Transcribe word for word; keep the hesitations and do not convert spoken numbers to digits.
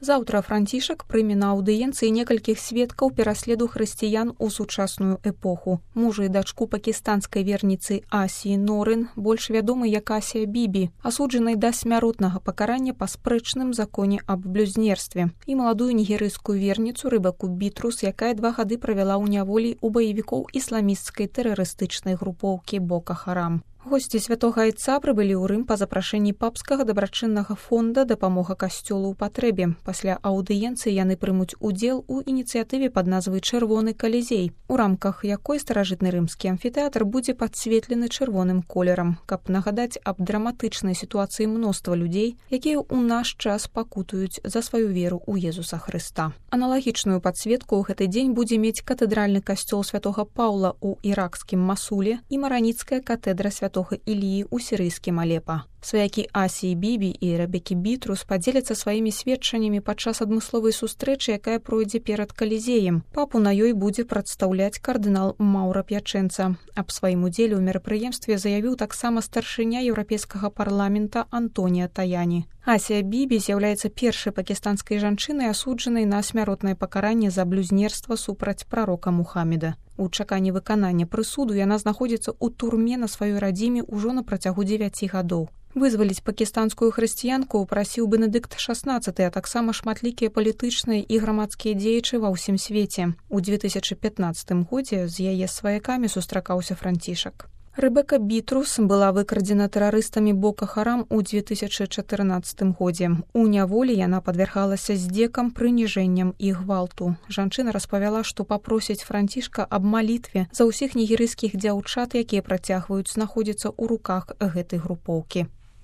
Заўтра Францішак прыме на аўдыенцыі некалькіх сведкаў пераследу хрысціян у сучасную эпоху. Мужа і дачку пакістанскай верніцы Асіі Норын, больш вядомы як Асія Бібі, асуджанай да смяротнага пакарання па спрэчным законе аб блюзнерстве, і маладую нігерыйскую верніцу Ребеку Бітрус, якая два гады правяла ў няволі у баевікоў ісламісцкай тэрарыстычнай групоўкі Бока Харам. Госці святога айца прыбылі ў Рым па запрашэнні папскага дабрачыннага фонда «Дапамога касцёлу ў патрэбе». Пасля аўдыенцыі яны прымуць удзел у ініцыятыве пад назвай «Чырвоны калізей», у рамках якой старажытны рымскі амфітэатр будзе падсветлены чырвоным колерам, каб нагадаць аб драматычнай сітуацыі мноства людзей, якія ў наш час пакутуюць за сваю веру ў Езуса Хрыста. Аналагічную падсветку ў гэты дзень будзе мець катэдральны касцёл святога Паўла ў іракскім Масуле і мараніцкая катедра святога Іліі ў сірыйскім Алепа. Сваякі Асіі Бібі і Ребекі Бітрус падзеляцца сваімі сведчаннямі падчас адмысловай сустрэчы, якая пройдзе перад Калізеем. Папу на ёй будзе прадстаўляць кардынал Маўра П'ячэнца. Аб сваім удзеле ў мерапрыемстве заявіў таксама старшыня еўрапейскага парламента Антонія Таяні. Асія Бібі з'яўляецца першай пакістанскай жанчынай, асуджанай на смяротнае пакаранне за блюзнерства супраць прарока Мухаммеда. У чаканні выканання прысуду яна знаходзіцца ў турме на сваёй радзіме ўжо на працягу дзевяці гадоў. Вызваліць пакістанскую хрысціянку прасіў Бенедыкт шаснаццаты, а таксама шматлікія палітычныя і грамадскія дзеячы ва ўсім свеце. У две тысячы пятнаццатым годзе з яе сваякамі сустракаўся Францішак. Ребека Бітрус была выкрадзена тэрарыстамі Бока Харам у две тысячы чатырнаццатым годзе. У няволі яна падвяргалася здзекам, прыніжэнням і гвалту. Жанчына распавяла, што папросіць Францішка аб малітве за ўсіх нігерыйскіх дзяўчат, якія працягваюць знаходзіцца ў руках гэтай групоўкі.